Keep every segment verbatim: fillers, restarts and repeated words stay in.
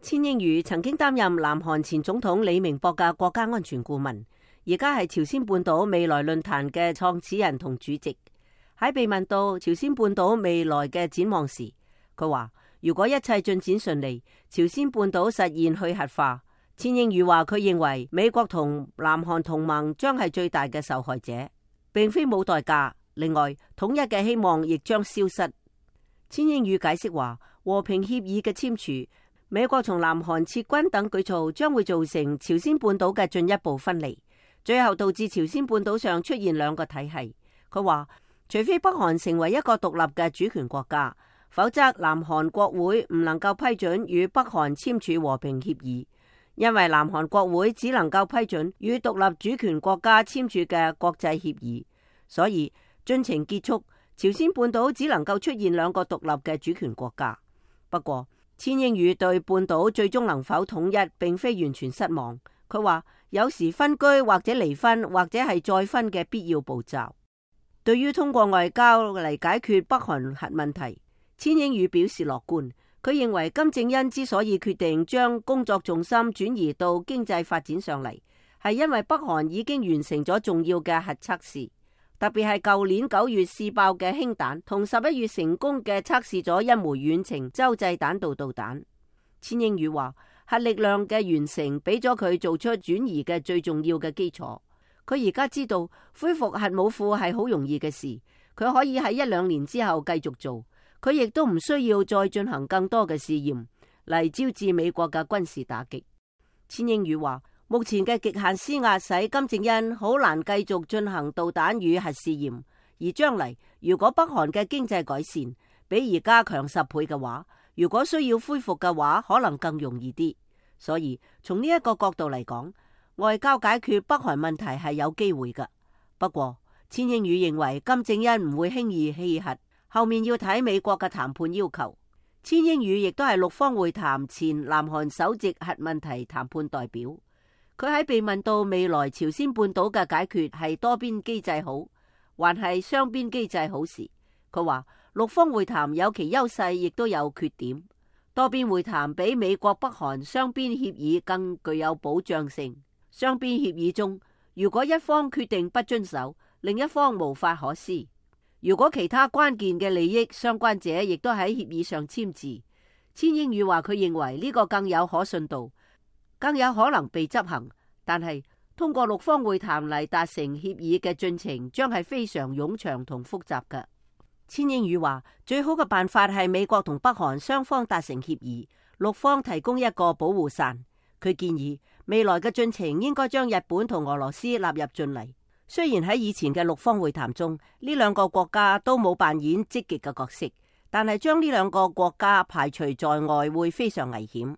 千英宇曾經擔任南韓前總統李明博嘅國家安全顧問，而家係朝鮮半島未來論壇嘅創始人同主席。喺被問到朝鮮半島未來嘅展望時，佢話如果一切進展順利，朝鮮半島實現去核化。千英宇話佢認為美國同南韓同盟將係最大嘅受害者，並非冇代價。另外，統一嘅希望亦將消失。千英宇解釋話，和平協議嘅簽署，美國從南韓撤軍等舉措將會造成朝鮮半島嘅進一步分離，最後導致朝鮮半島上出現兩個體系。佢話，除非北韓成為一個獨立嘅主權國家，否則南韓國會唔能夠批准與北韓簽署和平協議，因為南韓國會只能夠批准與獨立主權國家簽署嘅國際協議，所以進程結束，朝鮮半島只能夠出現兩個獨立嘅主權國家。不過，千英宇對半島最終能否統一並非完全失望。佢話有時分居或者離婚或者係再分嘅必要步驟。對於通過外交嚟解決北韓核問題，千英宇表示樂觀。佢認為金正恩之所以決定將工作重心轉移到經濟發展上嚟，係因為北韓已經完成咗重要嘅核測試。特別係舊年九月試爆嘅氫彈，同十一月成功嘅測試咗一枚遠程洲際彈道導彈。千英宇話，核力量嘅完成俾咗佢做出轉移嘅最重要嘅基礎。佢而家知道恢復核武庫係好容易嘅事，佢可以喺一兩年之後繼續做。佢亦都唔需要再進行更多嘅試驗嚟招致美國嘅軍事打擊。千英宇話，目前嘅極限施壓使金正恩好難繼續進行導彈與核試驗，而將嚟如果北韓嘅經濟改善比而家強十倍嘅話，如果需要恢復嘅話，可能更容易啲。所以從呢一個角度嚟講，外交解決北韓問題係有機會㗎。不過千英宇認為金正恩唔會輕易棄核，後面要睇美國嘅談判要求。千英宇亦都係六方會談前南韓首席核問題談判代表。佢喺被問到未來朝鮮半島嘅解決係多邊機制好，還係雙邊機制好時，佢話六方會談有其優勢，亦都有缺點。多邊會談比美國北韓雙邊協議更具有保障性。雙邊協議中，如果一方決定不遵守，另一方無法可施。如果其他關鍵嘅利益相關者亦都喺協議上簽字，千英宇話佢認為呢個更有可信度，更有可能被執行，但係通過六方會談嚟達成協議嘅進程將係非常冗長同複雜嘅。千英宇話最好嘅辦法係美國同北韓雙方達成協議，六方提供一個保護傘。佢建議未來嘅進程應該將日本同俄羅斯納入進嚟。雖然喺以前嘅六方會談中，呢兩個國家都冇扮演積極嘅角色，但係將呢兩個國家排除在外會非常危險。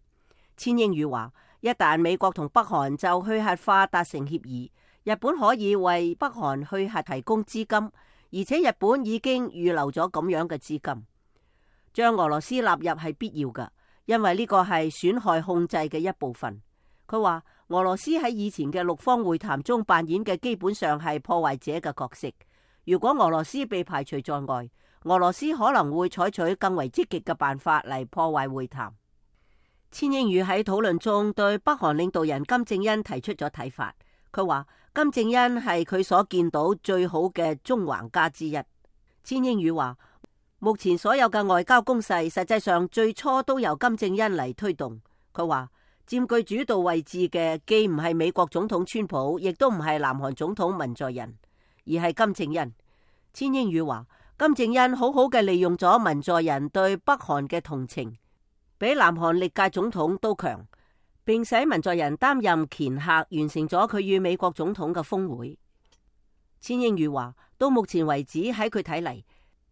千英宇話，一旦美國同北韓就去核化達成協議，日本可以為北韓去核提供資金，而且日本已經預留咗咁樣嘅資金。將俄羅斯納入係必要嘅，因為呢個係損害控制嘅一部分。佢話俄羅斯喺以前嘅六方會談中扮演嘅基本上係破壞者嘅角色。如果俄羅斯被排除在外，俄羅斯可能會採取更為積極嘅辦法嚟破壞會談。千英宇喺討論中對北韓領導人金正恩提出咗睇法。佢話金正恩係佢所見到最好嘅縱橫家之一。千英宇話目前所有嘅外交攻勢實際上最初都由金正恩嚟推動。佢話佔據主導位置嘅既唔係美國總統川普，亦都唔係南韓總統文在寅，而係金正恩。千英宇話金正恩好好嘅利用咗文在寅對北韓嘅同情，比南韓歷屆總統都強，並使文在寅擔任掮客，完成咗佢與美國總統嘅峰會。千英宇話到目前為止喺佢睇嚟，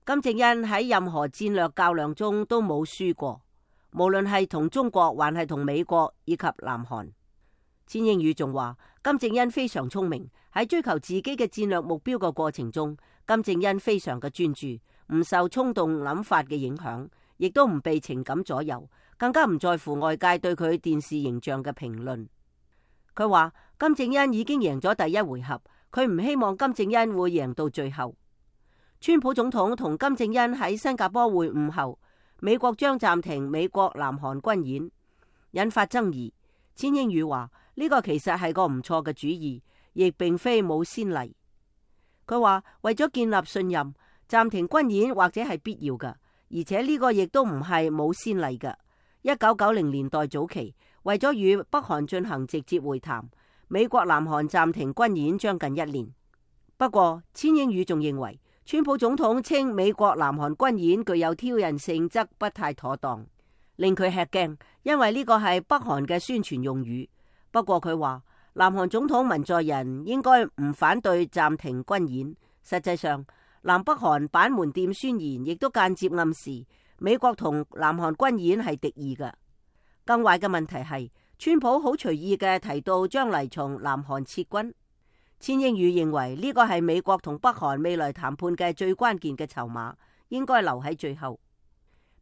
金正恩喺任何戰略較量中都冇輸過，無論係同中國還係同美國以及南韓。千英宇仲話金正恩非常聰明，喺追求自己嘅戰略目標嘅過程中，金正恩非常嘅專注，唔受衝動諗法嘅影響，亦都唔被情感左右，更加唔在乎外界對佢電視形象嘅評論。佢話金正恩已經贏咗第一回合，佢唔希望金正恩會贏到最後。川普總統同金正恩喺新加坡會晤後，美國將暫停美國南韓軍演。引發爭議。千英宇話呢個其實係個唔錯嘅主意，亦並非冇先例。佢話為咗建立信任，暫停軍演或者係必要嘅，而且呢個亦都唔係冇先例嘅。一九九零年代早期，為咗與北韓進行直接會談，美國南韓暫停軍演將近一年。不過千英宇仲認為，川普總統稱美國南韓軍演具有挑釁性質不太妥當，令佢吃驚，因為呢個係北韓嘅宣傳用語。不過佢話南韓總統文在寅應該唔反對暫停軍演。實際上，南北韓板門店宣言亦都間接暗示美國同南韓軍演係敵意嘅。更壞嘅問題係，川普好隨意嘅提到將嚟從南韓撤軍。千英宇認為呢個係美國同北韓未來談判嘅最關鍵嘅籌碼，應該留喺最後。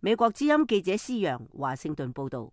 美國之音記者施洋華盛頓報道。